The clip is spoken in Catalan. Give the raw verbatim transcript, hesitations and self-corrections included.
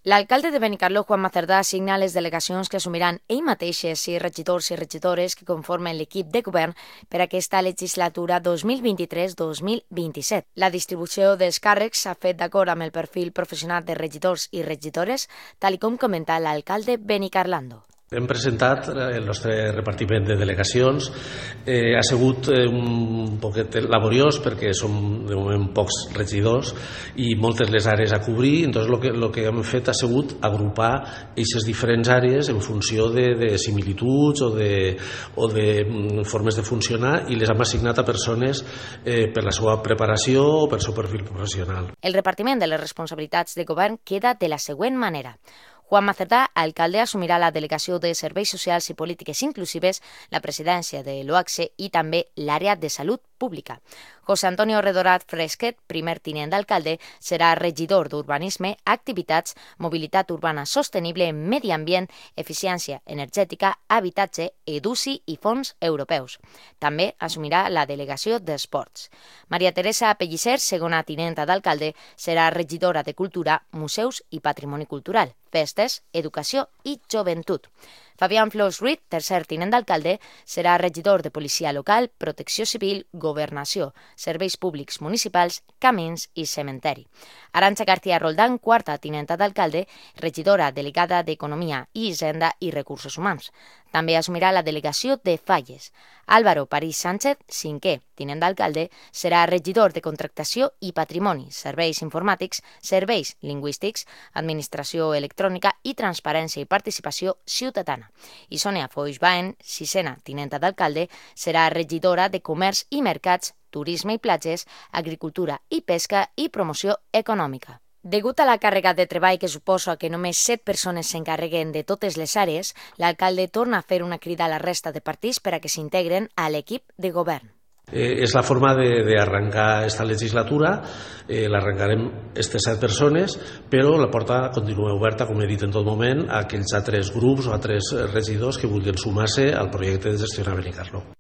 L'alcalde de Benicarló, Juanma Cerdà, assigna les delegacions que assumiran ell mateixes i regidors i regidores que conformen l'equip de govern per a aquesta legislatura dos mil vint-i-tres dos mil vint-i-set. La distribució dels càrrecs s'ha fet d'acord amb el perfil professional de regidors i regidores, tal com comenta l'alcalde benicarlando. Hem presentat el nostre repartiment de delegacions. Eh, ha sigut un poquet laboriós perquè som de moment pocs regidors i moltes les àrees a cobrir. Entonces, el que, lo que hem fet ha sigut agrupar aquestes diferents àrees en funció de, de similituds o de, o de formes de funcionar i les hem assignat a persones eh, per la seva preparació o per el seu perfil professional. El repartiment de les responsabilitats de govern queda de la següent manera. Juanma Cerdà, alcalde, assumirà la delegació de Serveis Socials i Polítiques Inclusives, la presidència de l'O A C S i també l'àrea de Salut Pública. José Antonio Redorat Fresquet, primer tinent d'alcalde, serà regidor d'Urbanisme, Activitats, Mobilitat Urbana Sostenible, Medi Ambient, Eficiència Energètica, Habitatge, Educi i Fons Europeus. També assumirà la delegació d'Esports. Maria Teresa Pellicer, segona tinenta d'alcalde, serà regidora de Cultura, Museus i Patrimoni Cultural, Festes, Educació i Joventut. Fabián Flors Ruiz, tercer tinent d'alcalde, serà regidor de Policia Local, Protecció Civil, Governació, Serveis Públics Municipals, Camins i Cementeri. Arantxa García Roldán, quarta tinenta d'alcalde, regidora delegada d'Economia i Hisenda i Recursos Humans. També assumirà la delegació de Falles. Álvaro París Sánchez, cinquè tinent d'alcalde, serà regidor de Contractació i Patrimoni, Serveis Informàtics, Serveis Lingüístics, Administració Electrònica i Transparència i Participació Ciutadana. I Sònia Foix Baen, sisena tinenta d'alcalde, serà regidora de Comerç i Mercats, Turisme i Platges, Agricultura i Pesca i Promoció Econòmica. Degut a la càrrega de treball que suposa que només set persones s'encarreguen de totes les àrees, l'alcalde torna a fer una crida a la resta de partits per a que s'integren a l'equip de govern. Eh, és la forma d'arrencar aquesta legislatura, eh, l'arrencarem aquestes set persones, però la porta continua oberta, com he dit en tot moment, a aquells altres grups o altres regidors que vulguin sumar-se al projecte de gestionar Benicarló.